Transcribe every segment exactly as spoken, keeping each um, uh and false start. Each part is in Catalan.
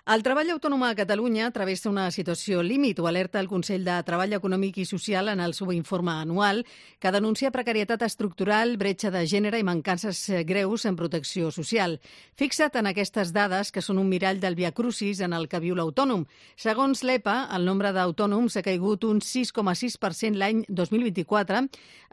El treball autònom a Catalunya travessa una situació límit, ho alerta el Consell de Treball Econòmic i Social en el seu informe anual, que denuncia precarietat estructural, bretxa de gènere i mancances greus en protecció social. Fixa't en aquestes dades, que són un mirall del viacrucis en el que viu l'autònom. Segons l'E P A, el nombre d'autònoms ha caigut un sis coma sis per cent l'any dos mil vint-i-quatre,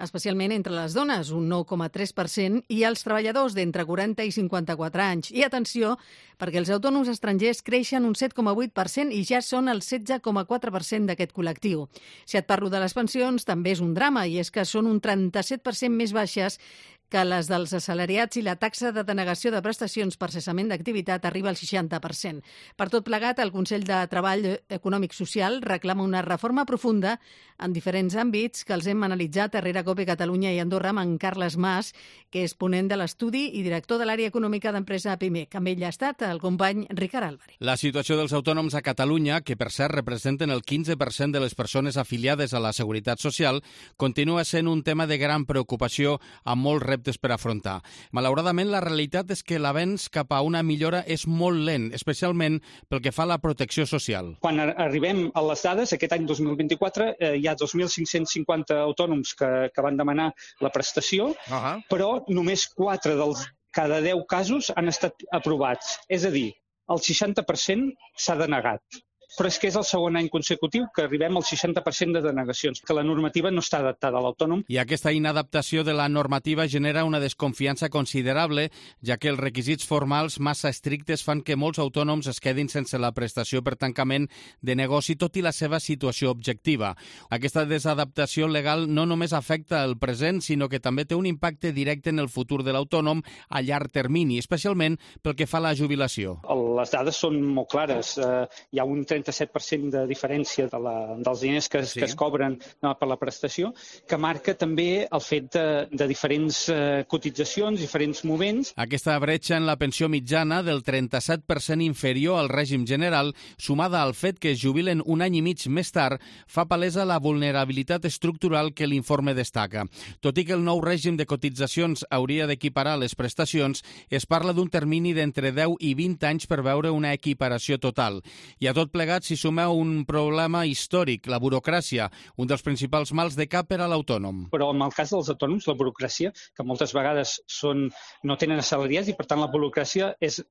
especialment entre les dones, un nou coma tres per cent, i els treballadors d'entre quaranta i cinquanta-quatre anys. I atenció, perquè els autònoms estrangers creixen un set coma vuit per cent i ja són el setze coma quatre per cent d'aquest col·lectiu. Si et parlo de les pensions, també és un drama, i és que són un trenta-set per cent més baixes que les dels assalariats i la taxa de denegació de prestacions per cessament d'activitat arriba al seixanta per cent. Per tot plegat, el Consell de Treball Econòmic Social reclama una reforma profunda en diferents àmbits que els hem analitzat a Rere-Cope Catalunya i Andorra amb en Carles Mas, que és ponent de l'estudi i director de l'àrea econòmica d'empresa Pimec. Amb ell ha estat el company Ricard Álvarez. La situació dels autònoms a Catalunya, que per cert representen el quinze per cent de les persones afiliades a la Seguretat Social, continua sent un tema de gran preocupació amb molts reptes per afrontar. Malauradament, la realitat és que l'avenç cap a una millora és molt lent, especialment pel que fa a la protecció social. Quan arribem a les dades, aquest any dos mil vint-i-quatre eh, hi ha dos mil cinc-cents cinquanta autònoms que, que van demanar la prestació, uh-huh. però només quatre dels cada deu casos han estat aprovats. És a dir, el seixanta per cent s'ha denegat. Però és que és el segon any consecutiu que arribem al seixanta per cent de denegacions, que la normativa no està adaptada a l'autònom. I aquesta inadaptació de la normativa genera una desconfiança considerable, ja que els requisits formals massa estrictes fan que molts autònoms es quedin sense la prestació per tancament de negoci, tot i la seva situació objectiva. Aquesta desadaptació legal no només afecta el present, sinó que també té un impacte directe en el futur de l'autònom a llarg termini, especialment pel que fa a la jubilació. Les dades són molt clares. Uh, hi ha un trenta-set per cent de diferència de la, dels diners que, sí. que es cobren no, per la prestació, que marca també el fet de, de diferents uh, cotitzacions, diferents moments. Aquesta bretxa en la pensió mitjana del trenta-set per cent inferior al règim general, sumada al fet que es jubilen un any i mig més tard, fa palesa la vulnerabilitat estructural que l'informe destaca. Tot i que el nou règim de cotitzacions hauria d'equiparar les prestacions, es parla d'un termini d'entre deu i vint anys per veure una equiparació total. I a tot plegat s'hi suma un problema històric, la burocràcia, un dels principals mals de cap per a l'autònom. Però en el cas dels autònoms, la burocràcia, que moltes vegades són, no tenen assalariats i per tant la burocràcia és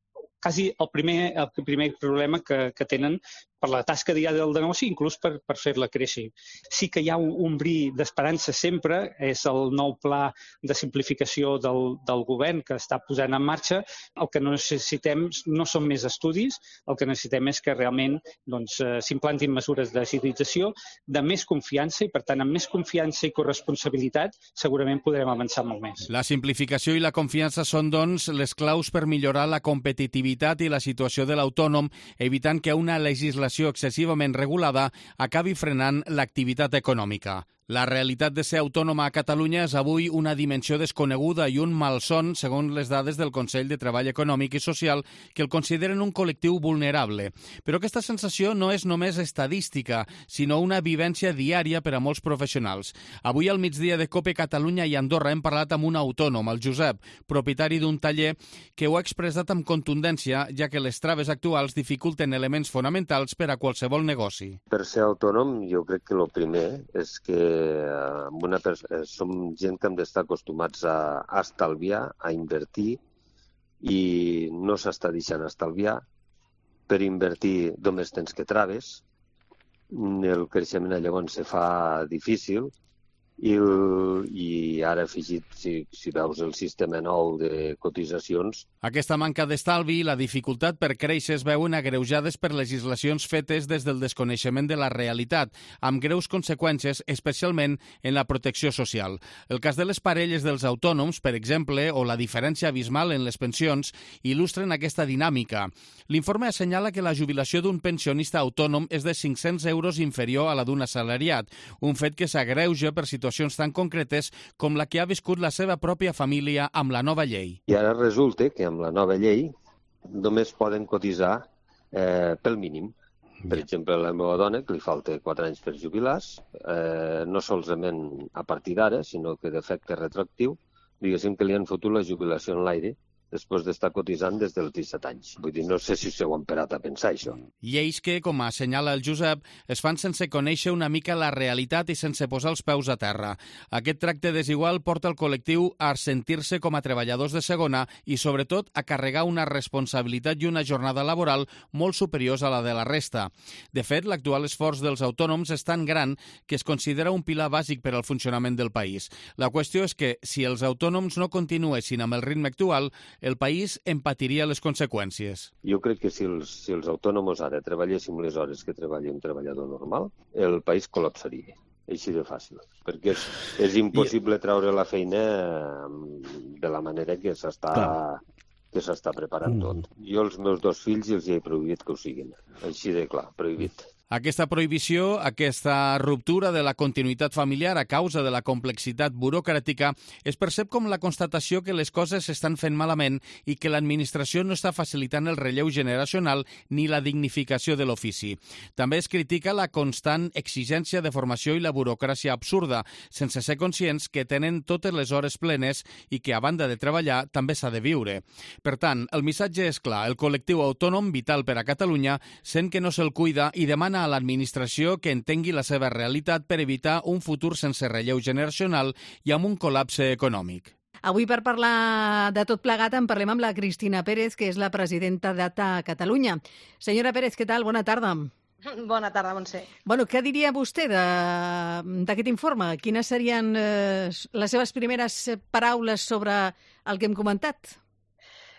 quasi el primer, el primer problema que, que tenen per la tasca diària del negoci, inclús per, per fer-la créixer. Sí que hi ha un, un bri d'esperança sempre, és el nou pla de simplificació del, del govern que està posant en marxa. El que necessitem no són més estudis, el que necessitem és que realment doncs, s'implantin mesures d'agilització, de més confiança, i per tant, amb més confiança i corresponsabilitat, segurament podrem avançar molt més. La simplificació i la confiança són, doncs, les claus per millorar la competitivitat i la situació de l'autònom, evitant que una legislació excessivament regulada acabi frenant l'activitat econòmica. La realitat de ser autònoma a Catalunya és avui una dimensió desconeguda i un malson, segons les dades del Consell de Treball Econòmic i Social, que el consideren un col·lectiu vulnerable. Però aquesta sensació no és només estadística, sinó una vivència diària per a molts professionals. Avui al migdia de Cope Catalunya i Andorra hem parlat amb un autònom, el Josep, propietari d'un taller, que ho ha expressat amb contundència, ja que les traves actuals dificulten elements fonamentals per a qualsevol negoci. Per ser autònom, jo crec que el primer és que amb una pers- som gent que hem d'estar acostumats a, a estalviar, a invertir, i no s'està deixant estalviar. Per invertir només tens que traves, el creixement llavors se fa difícil, i, el, i ara afegit, si, si veus el sistema nou de cotitzacions. Aquesta manca d'estalvi i la dificultat per créixer es veuen agreujades per legislacions fetes des del desconeixement de la realitat, amb greus conseqüències, especialment en la protecció social. El cas de les parelles dels autònoms, per exemple, o la diferència abismal en les pensions, il·lustren aquesta dinàmica. L'informe assenyala que la jubilació d'un pensionista autònom és de cinc-cents euros inferior a la d'un assalariat, un fet que s'agreuja per situacions tan concretes com la que ha viscut la seva pròpia família amb la nova llei. I ara resulta que amb la nova llei només poden cotitzar eh, pel mínim. Per exemple, la meva dona, que li falta quatre anys per jubilar-se, eh, no solament a partir d'ara, sinó que d'efecte retroactiu, diguéssim que li han fotut la jubilació en l'aire després d'estar cotitzant des dels disset anys. Vull dir, no sé si us heu emparat a pensar això. Lleis que, com assenyala el Josep, es fan sense conèixer una mica la realitat i sense posar els peus a terra. Aquest tracte desigual porta el col·lectiu a sentir-se com a treballadors de segona i, sobretot, a carregar una responsabilitat i una jornada laboral molt superiors a la de la resta. De fet, l'actual esforç dels autònoms és tan gran que es considera un pilar bàsic per al funcionament del país. La qüestió és que, si els autònoms no continuessin amb el ritme actual, el país en patiria les conseqüències. Jo crec que si els, si els autònoms ara treballéssim les hores que treballa un treballador normal, el país col·lapsaria. Així de fàcil. Perquè és, és impossible treure la feina de la manera que s'està que s'està preparant tot. Jo als meus dos fills els he prohibit que ho siguin. Així de clar, prohibit. Aquesta prohibició, aquesta ruptura de la continuïtat familiar a causa de la complexitat burocràtica es percep com la constatació que les coses s'estan fent malament i que l'administració no està facilitant el relleu generacional ni la dignificació de l'ofici. També es critica la constant exigència de formació i la burocràcia absurda, sense ser conscients que tenen totes les hores plenes i que, a banda de treballar, també s'ha de viure. Per tant, el missatge és clar. El col·lectiu autònom, vital per a Catalunya, sent que no se'l cuida i demana a l'administració que entengui la seva realitat per evitar un futur sense relleu generacional i amb un col·lapse econòmic. Avui, per parlar de tot plegat, en parlem amb la Cristina Pérez, que és la presidenta d'A T A Catalunya. Senyora Pérez, què tal? Bona tarda. Bona tarda, Montse. Bueno, què diria vostè d'aquest informe? Quines serien eh, les seves primeres paraules sobre el que hem comentat?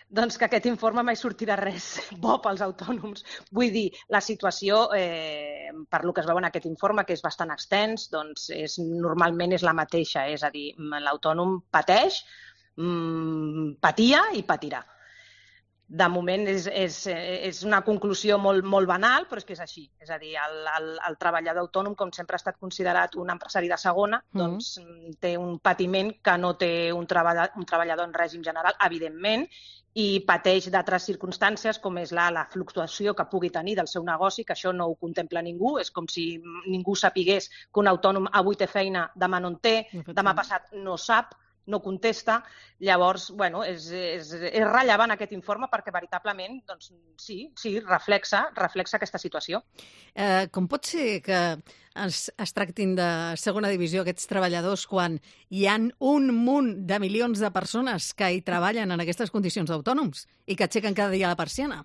Doncs que aquest informe mai sortirà res bo pels autònoms. Vull dir, la situació, eh, per lo que es veu en aquest informe, que és bastant extens, doncs és, normalment és la mateixa. És a dir, l'autònom pateix, mmm, patia i patirà. De moment és, és, és una conclusió molt, molt banal, però és que és així. És a dir, el, el, el treballador autònom, com sempre ha estat considerat un empresari de segona, mm. doncs té un patiment que no té un, treball, un treballador en règim general, evidentment, i pateix d'altres circumstàncies, com és la, la fluctuació que pugui tenir del seu negoci, que això no ho contempla ningú. És com si ningú sapigués que un autònom avui té feina, demà no en té, demà passat no sap, no contesta. Llavors, bueno, és, és, és rellevant aquest informe perquè veritablement, doncs, sí, sí, reflexa, reflexa aquesta situació. Eh, com pot ser que es, es tractin de segona divisió aquests treballadors quan hi ha un munt de milions de persones que hi treballen en aquestes condicions d'autònoms i que aixequen cada dia la persiana?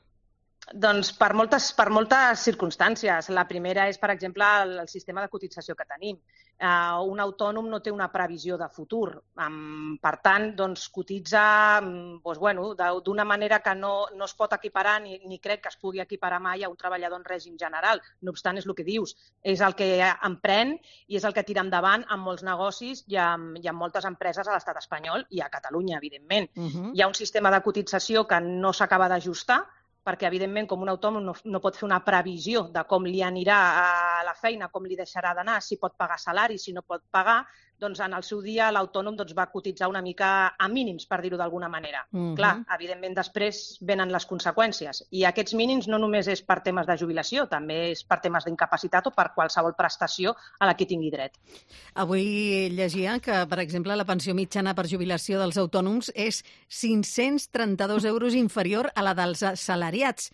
Doncs per moltes, per moltes circumstàncies. La primera és, per exemple, el, el sistema de cotització que tenim. Uh, un autònom no té una previsió de futur. Um, per tant, doncs, cotitza um, doncs, bueno, d'una manera que no, no es pot equiparar ni, ni crec que es pugui equiparar mai a un treballador en règim general. No obstant, és el que dius. És el que emprèn i és el que tira endavant en molts negocis i en, i en moltes empreses a l'estat espanyol i a Catalunya, evidentment. Uh-huh. Hi ha un sistema de cotització que no s'acaba d'ajustar, perquè, evidentment, com un autònom no, no pot fer una previsió de com li anirà a la feina, com li deixarà d'anar, si pot pagar salari, si no pot pagar, doncs en el seu dia l'autònom doncs, va cotitzar una mica a mínims, per dir-ho d'alguna manera. Uh-huh. Clar, evidentment, després venen les conseqüències. I aquests mínims no només és per temes de jubilació, també és per temes d'incapacitat o per qualsevol prestació a la que tingui dret. Avui llegia que, per exemple, la pensió mitjana per jubilació dels autònoms és cinc-cents trenta-dos euros inferior a la dels assalariats.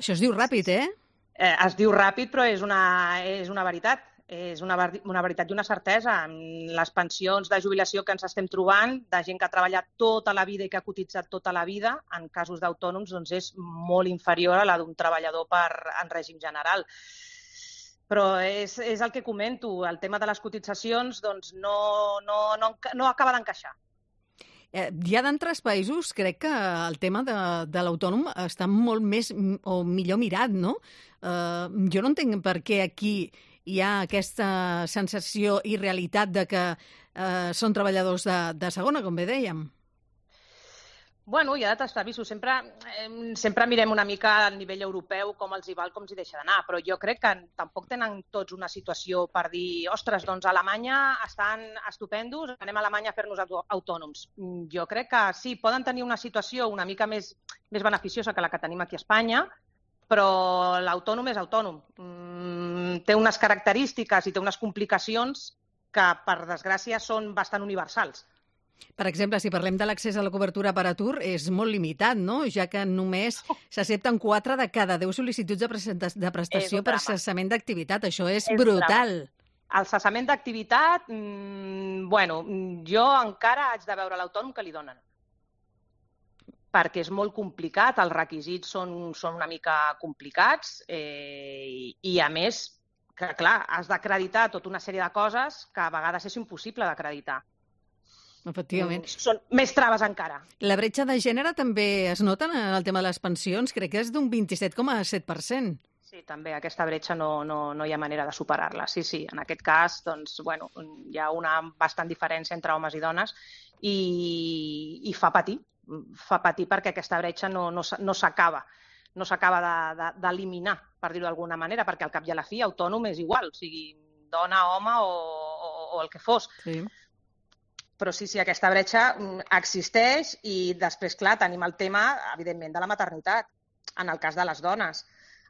Això es diu ràpid, eh? eh es diu ràpid, però és una, és una veritat. És una, una veritat i una certesa. Les pensions de jubilació que ens estem trobant, de gent que ha treballat tota la vida i que ha cotitzat tota la vida, en casos d'autònoms, doncs és molt inferior a la d'un treballador per, en règim general. Però és, és el que comento, el tema de les cotitzacions doncs no, no, no, no acaba d'encaixar. Eh, ja d'altres països crec que el tema de, de l'autònom està molt més o millor mirat, no? Eh, jo no entenc per què aquí hi ha aquesta sensació i realitat de que eh, són treballadors de, de segona, com bé dèiem. Bueno, hi ha d'altres països. Sempre, eh, sempre mirem una mica al nivell europeu com els hi val, com els hi deixa d'anar, però jo crec que tampoc tenen tots una situació per dir, ostres, doncs a Alemanya estan estupendos, anem a Alemanya a fer-nos autònoms. Jo crec que sí, poden tenir una situació una mica més, més beneficiosa que la que tenim aquí a Espanya, però l'autònom és autònom. Mm, té unes característiques i té unes complicacions que, per desgràcia, són bastant universals. Per exemple, si parlem de l'accés a la cobertura per atur, és molt limitat, no? Ja que només s'accepten quatre de cada deu sol·licituds de, presenta- de prestació per cessament d'activitat. Això és, és brutal. Drama. El cessament d'activitat, mmm, bueno, jo encara haig de veure l'autònom que li donen. Perquè és molt complicat, els requisits són, són una mica complicats eh, i, a més, que clar, has d'acreditar tota una sèrie de coses que a vegades és impossible d'acreditar. Efectivament. Són més traves encara. La bretxa de gènere també es nota en el tema de les pensions? Crec que és d'un vint-i-set coma set per cent. Sí, també aquesta bretxa no, no, no hi ha manera de superar-la. Sí, sí, en aquest cas doncs, bueno, hi ha una bastant diferència entre homes i dones i, i fa patir. fa patir perquè aquesta bretxa no, no, no s'acaba no s'acaba d'eliminar, de, de, per dir-ho d'alguna manera, perquè al cap i a la fi autònom és igual, o sigui, dona, home o, o, o el que fos. Sí. Però sí, sí, aquesta bretxa existeix i després, clar, tenim el tema, evidentment, de la maternitat, en el cas de les dones.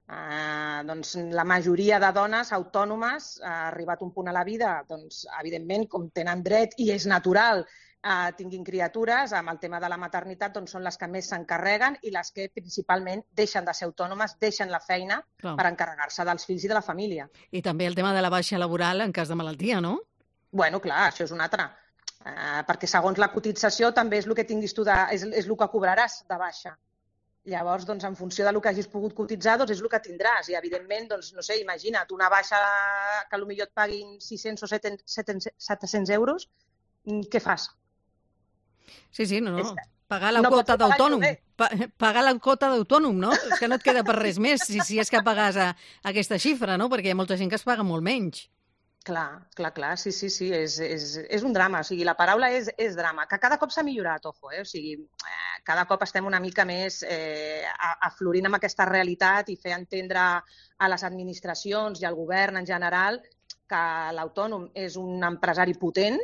Eh, doncs, la majoria de dones autònomes, ha arribat un punt a la vida, doncs, evidentment, com tenen dret i és natural, eh, tinguin criatures, amb el tema de la maternitat doncs, són les que més s'encarreguen i les que principalment deixen de ser autònomes, deixen la feina Clar. per encarregar-se dels fills i de la família. I també el tema de la baixa laboral en cas de malaltia, no? Bueno, clar, això és un altre. Eh, perquè segons la cotització també és el que tinguis tu, de, és, és el que cobraràs de baixa. Llavors, doncs, en funció del que hagis pogut cotitzar, doncs és el que tindràs. I, evidentment, doncs, no sé, imagina't, una baixa que potser et paguin sis-cents o set-cents euros, què fas? Sí, sí, no, no. Pagar la no quota d'autònom. Pa pagar la quota d'autònom, no? És que no et queda per res més, si, si és que pagues a, a aquesta xifra, no? Perquè hi ha molta gent que es paga molt menys. Clar, clar, clar, sí, sí, sí, és, és, és un drama, o sigui, la paraula és, és drama, que cada cop s'ha millorat, ojo, eh? O sigui, eh, cada cop estem una mica més eh, aflorint amb aquesta realitat i fer entendre a les administracions i al govern en general que l'autònom és un empresari potent,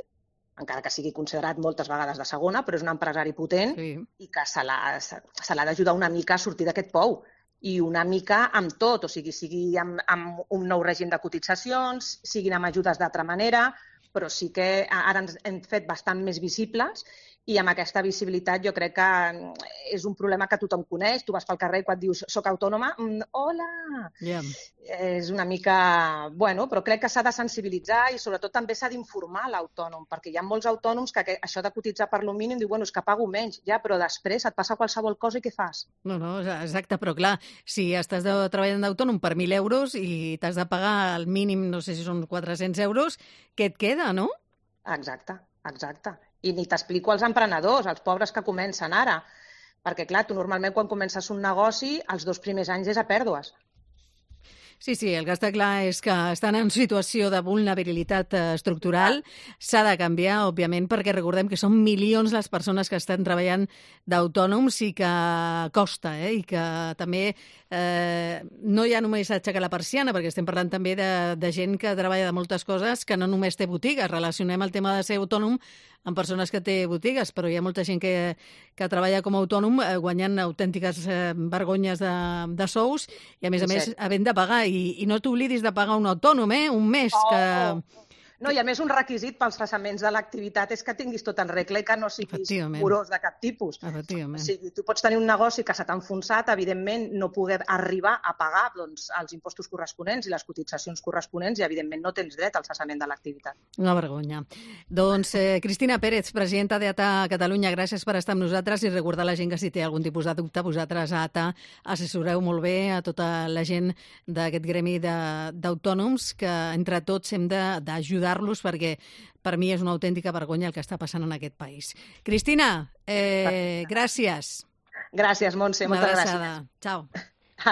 encara que sigui considerat moltes vegades de segona, però és un empresari potent sí. i que se l'ha d'ajudar una mica a sortir d'aquest pou. I una mica amb tot, o sigui, sigui amb, amb un nou règim de cotitzacions, siguin amb ajudes d'altra manera, però sí que ara ens hem fet bastant més visibles i amb aquesta visibilitat jo crec que és un problema que tothom coneix. Tu vas pel carrer i quan dius soc autònoma, mm, hola! Yeah. És una mica... Bueno, però crec que s'ha de sensibilitzar i sobretot també s'ha d'informar l'autònom, perquè hi ha molts autònoms que això de cotitzar per lo mínim diu, bueno, és que pago menys, ja, però després et passa qualsevol cosa i què fas? No, no, exacte, però clar, si estàs de, treballant d'autònom per mil euros i t'has de pagar el mínim, no sé si són quatre-cents euros, què et queda, no? Exacte, exacte. I ni t'explico als emprenedors, als pobres que comencen ara. Perquè, clar, tu normalment quan comences un negoci, els dos primers anys és a pèrdues. Sí, sí, el que està clar és que estan en situació de vulnerabilitat estructural. S'ha de canviar, òbviament, perquè recordem que són milions les persones que estan treballant d'autònoms i que costa, eh? I que també eh, no hi ha només aixecar la persiana, perquè estem parlant també de, de gent que treballa de moltes coses que no només té botigues. Relacionem el tema de ser autònom amb persones que té botigues, però hi ha molta gent que, que treballa com a autònom eh, guanyant autèntiques eh, vergonyes de, de sous i, a més a més, havent de pagar. I, i no t'oblidis de pagar un autònom, eh? Un mes oh, que... Oh. No, i a més un requisit pels cessaments de l'activitat és que tinguis tot en regla i que no siguis morós de cap tipus. Efectivament. O sigui, tu pots tenir un negoci que se t'ha enfonsat, evidentment no poder arribar a pagar doncs, els impostos corresponents i les cotitzacions corresponents i evidentment no tens dret al cessament de l'activitat. Una vergonya. Doncs eh, Cristina Pérez, presidenta d'A T A Catalunya, gràcies per estar amb nosaltres i recordar a la gent que si té algun tipus de dubte, vosaltres a A T A assessoreu molt bé a tota la gent d'aquest gremi d'autònoms que entre tots hem d'ajudar los perquè per mi és una autèntica vergonya el que està passant en aquest país. Cristina, eh, gràcies. Gràcies, Montse, moltes gràcies. Ciao.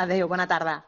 Adéu, bona tarda.